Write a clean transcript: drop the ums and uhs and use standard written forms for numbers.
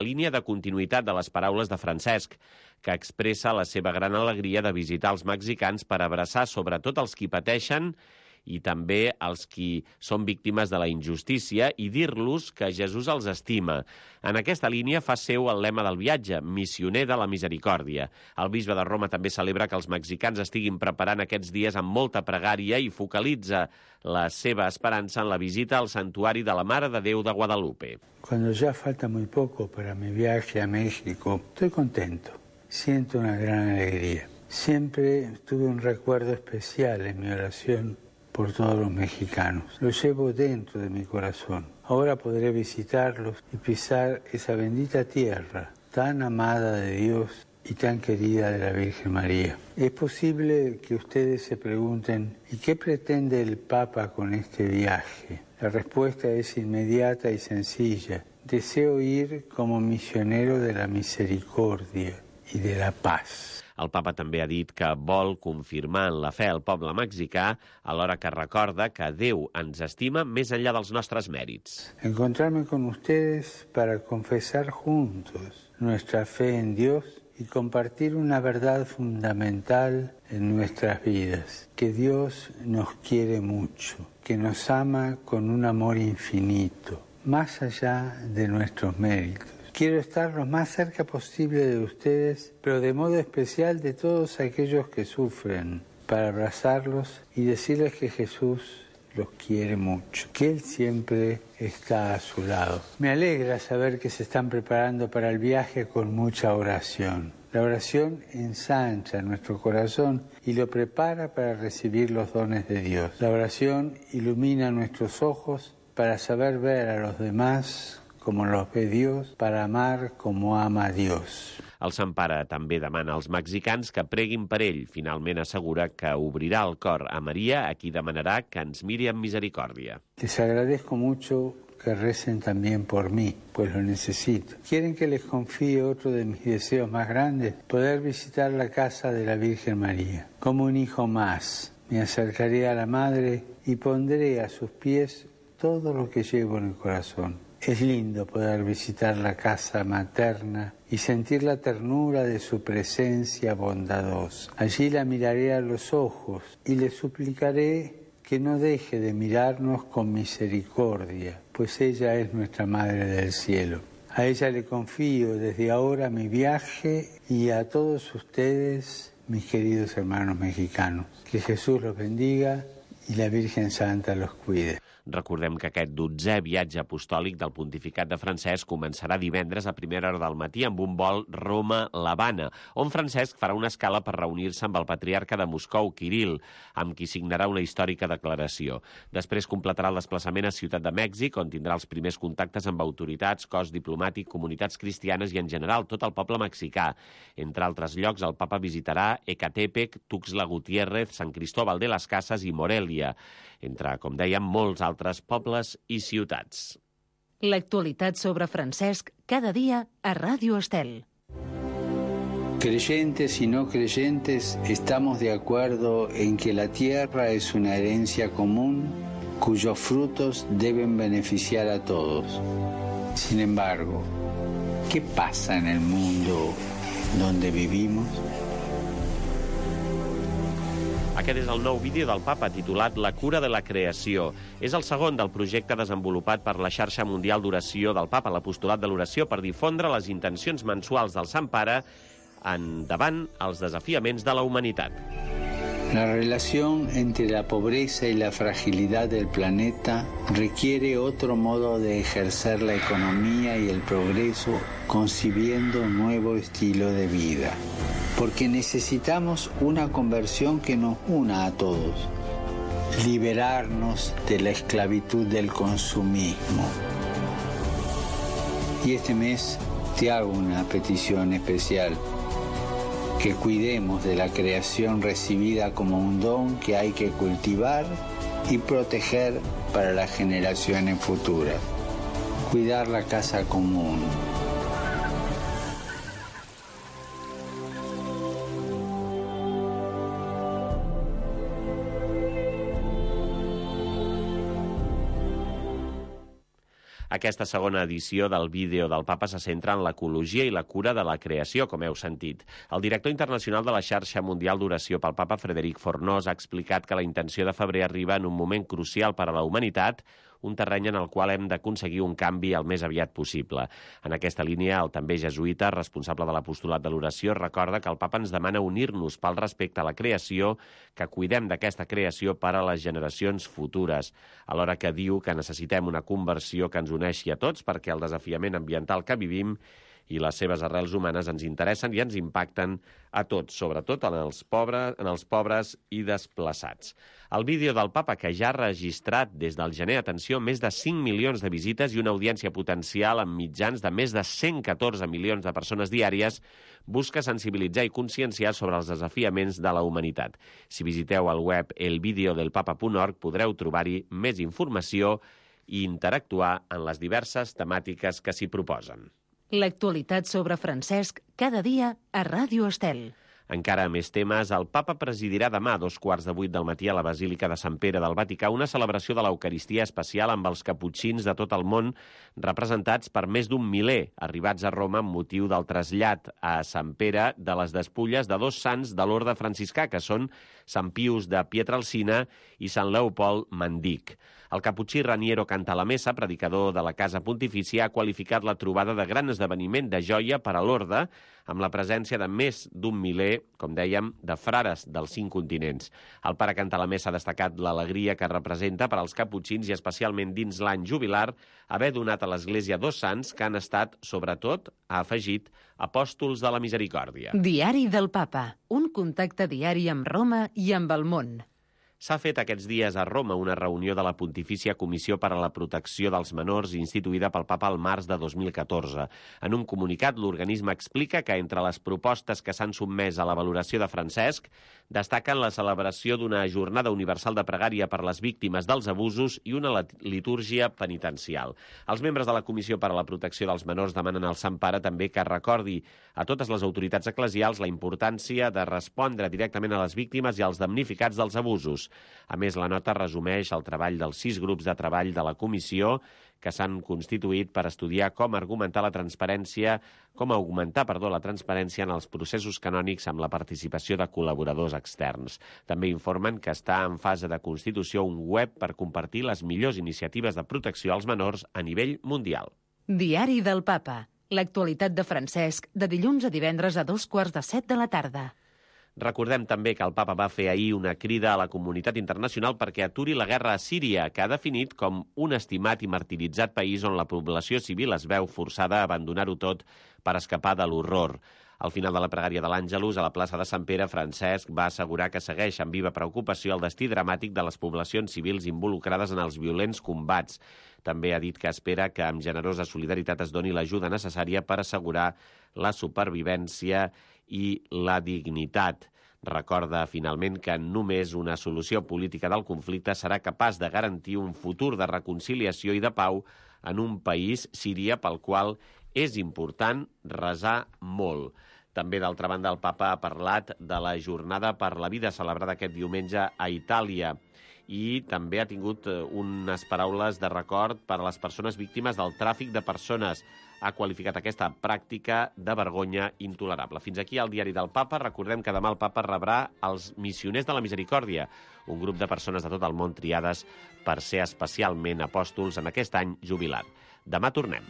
línia de continuïtat de les paraules de Francesc, que expressa la seva gran alegria de visitar els mexicans per abraçar sobretot els qui pateixen i també els qui són víctimes de la injustícia i dir-los que Jesús els estima. En aquesta línia fa seu el lema del viatge, missioner de la misericòrdia. El bisbe de Roma també celebra que els mexicans estiguin preparant aquests dies amb molta pregària i focalitza la seva esperança en la visita al santuari de la Mare de Déu de Guadalupe. Cuando ya falta muy poco para mi viaje a México, estoy contento, siento una gran alegría. Siempre tuve un recuerdo especial en mi oración por todos los mexicanos. Lo llevo dentro de mi corazón. Ahora podré visitarlos y pisar esa bendita tierra tan amada de Dios y tan querida de la Virgen María. Es posible que ustedes se pregunten, ¿y qué pretende el Papa con este viaje? La respuesta es inmediata y sencilla. Deseo ir como misionero de la misericordia y de la paz. El papa també ha dit que vol confirmar en la fe al poble mexicà alhora que recorda que Déu ens estima més enllà dels nostres mèrits. Encontrarme con ustedes para confesar juntos nuestra fe en Dios y compartir una verdad fundamental en nuestras vidas, que Dios nos quiere mucho, que nos ama con un amor infinito, más allá de nuestros méritos. Quiero estar lo más cerca posible de ustedes, pero de modo especial de todos aquellos que sufren, para abrazarlos y decirles que Jesús los quiere mucho, que Él siempre está a su lado. Me alegra saber que se están preparando para el viaje con mucha oración. La oración ensancha nuestro corazón y lo prepara para recibir los dones de Dios. La oración ilumina nuestros ojos para saber ver a los demás como los ve Dios, para amar como ama Dios. El Sant Pare també demana als mexicans que preguin per ell. Finalment assegura que obrirà el cor a Maria, a qui demanarà que ens miri amb misericòrdia. Les agradezco mucho que recen también por mí, pues lo necesito. ¿Quieren que les confíe otro de mis deseos más grandes? Poder visitar la casa de la Virgen María. Como un hijo más, me acercaré a la Madre y pondré a sus pies todo lo que llevo en el corazón. Es lindo poder visitar la casa materna y sentir la ternura de su presencia bondadosa. Allí la miraré a los ojos y le suplicaré que no deje de mirarnos con misericordia, pues ella es nuestra Madre del Cielo. A ella le confío desde ahora mi viaje y a todos ustedes, mis queridos hermanos mexicanos. Que Jesús los bendiga i la Virgen Santa los cuide. Recordem que aquest 12è viatge apostòlic del pontificat de Francesc començarà divendres a primera hora del matí amb un vol Roma-l'Havana, on Francesc farà una escala per reunir-se amb el patriarca de Moscou, Kirill, amb qui signarà una històrica declaració. Després completarà el desplaçament a Ciutat de Mèxic, on tindrà els primers contactes amb autoritats, cos diplomàtic, comunitats cristianes i, en general, tot el poble mexicà. Entre altres llocs, el papa visitarà Ecatepec, Tuxtla Gutiérrez, Sant Cristóbal de las Casas i Morelia, entre, com dèiem, molts altres pobles i ciutats. L'actualitat sobre Francesc cada dia a Ràdio Estel. Creyentes y no creyentes, estamos de acuerdo en que la tierra es una herencia común cuyos frutos deben beneficiar a todos. Sin embargo, ¿qué pasa en el mundo donde vivimos? Aquest és el nou vídeo del papa titulat La cura de la creació. És el segon del projecte desenvolupat per la xarxa mundial d'oració del papa, l'apostolat de l'oració, per difondre les intencions mensuals del Sant Pare davant els desafiaments de la humanitat. La relación entre la pobreza y la fragilidad del planeta requiere otro modo de ejercer la economía y el progreso, concibiendo un nuevo estilo de vida. Porque necesitamos una conversión que nos una a todos, liberarnos de la esclavitud del consumismo. Y este mes te hago una petición especial. Que cuidemos de la creación recibida como un don que hay que cultivar y proteger para las generaciones futuras. Cuidar la casa común. Aquesta segona edició del vídeo del papa se centra en l'ecologia i la cura de la creació, com heu sentit. El director internacional de la xarxa mundial d'oració pel papa, Frederic Fornós, ha explicat que la intenció de febrer arriba en un moment crucial per a la humanitat, un terreny en el qual hem d'aconseguir un canvi el més aviat possible. En aquesta línia, el també jesuïta, responsable de l'apostolat de l'oració, recorda que el papa ens demana unir-nos pel respecte a la creació, que cuidem d'aquesta creació per a les generacions futures, alhora que diu que necessitem una conversió que ens uneixi a tots perquè el desafiament ambiental que vivim i les seves arrels humanes ens interessen i ens impacten a tots, sobretot en els pobres i desplaçats. El vídeo del papa, que ja ha registrat des del gener, atenció, més de 5 milions de visites i una audiència potencial amb mitjans de més de 114 milions de persones diàries, busca sensibilitzar i conscienciar sobre els desafiaments de la humanitat. Si visiteu el web elvideodelpapa.org podreu trobar-hi més informació i interactuar en les diverses temàtiques que s'hi proposen. L'actualitat sobre Francesc cada dia a Ràdio Estel. Encara més temes, el papa presidirà demà a 7:15 del matí a la Basílica de Sant Pere del Vaticà una celebració de l'Eucaristia especial amb els caputxins de tot el món, representats per més d'un miler, arribats a Roma amb motiu del trasllat a Sant Pere de les despulles de dos sants de l'orde franciscà, que són Sant Pius de Pietrelcina i Sant Leopold Mandic. El caputxí Raniero Cantalamessa, predicador de la Casa Pontifícia, ha qualificat la trobada de gran esdeveniment de joia per a l'orde, amb la presència de més d'un miler, com dèiem, de frares dels 5 continents. El pare Cantalamessa ha destacat l'alegria que representa per als caputxins i especialment dins l'any jubilar haver donat a l'Església dos sants que han estat, sobretot, ha afegit, apòstols de la misericòrdia. Diari del Papa, un contacte diari amb Roma i amb el món. S'ha fet aquests dies a Roma una reunió de la Pontifícia Comissió per a la Protecció dels Menors instituïda pel papa al març de 2014. En un comunicat, l'organisme explica que entre les propostes que s'han sotmès a la valoració de Francesc destaquen la celebració d'una jornada universal de pregària per les víctimes dels abusos i una litúrgia penitencial. Els membres de la Comissió per a la Protecció dels Menors demanen al Sant Pare també que recordi a totes les autoritats eclesials la importància de respondre directament a les víctimes i als damnificats dels abusos. A més, la nota resumeix el treball dels 6 grups de treball de la comissió que s'han constituït per estudiar com augmentar la transparència en els processos canònics amb la participació de col·laboradors externs. També informen que està en fase de constitució un web per compartir les millors iniciatives de protecció als menors a nivell mundial. Diari del Papa. L'actualitat de Francesc de dilluns a divendres a 6:15 de la tarda. Recordem també que el papa va fer ahir una crida a la comunitat internacional perquè aturi la guerra a Síria, que ha definit com un estimat i martiritzat país on la població civil es veu forçada a abandonar-ho tot per escapar de l'horror. Al final de la pregària de l'Àngelus, a la plaça de Sant Pere, Francesc va assegurar que segueix amb viva preocupació el destí dramàtic de les poblacions civils involucrades en els violents combats. També ha dit que espera que amb generosa solidaritat es doni l'ajuda necessària per assegurar la supervivència i la dignitat. Recorda, finalment, que només una solució política del conflicte serà capaç de garantir un futur de reconciliació i de pau en un país, Síria, pel qual és important resar molt. També, d'altra banda, el papa ha parlat de la Jornada per la Vida celebrada aquest diumenge a Itàlia i també ha tingut unes paraules de record per a les persones víctimes del tràfic de persones. Ha qualificat aquesta pràctica de vergonya intolerable. Fins aquí el diari del papa. Recordem que demà el papa rebrà els missioners de la misericòrdia, un grup de persones de tot el món triades per ser especialment apòstols en aquest any jubilat. Demà tornem.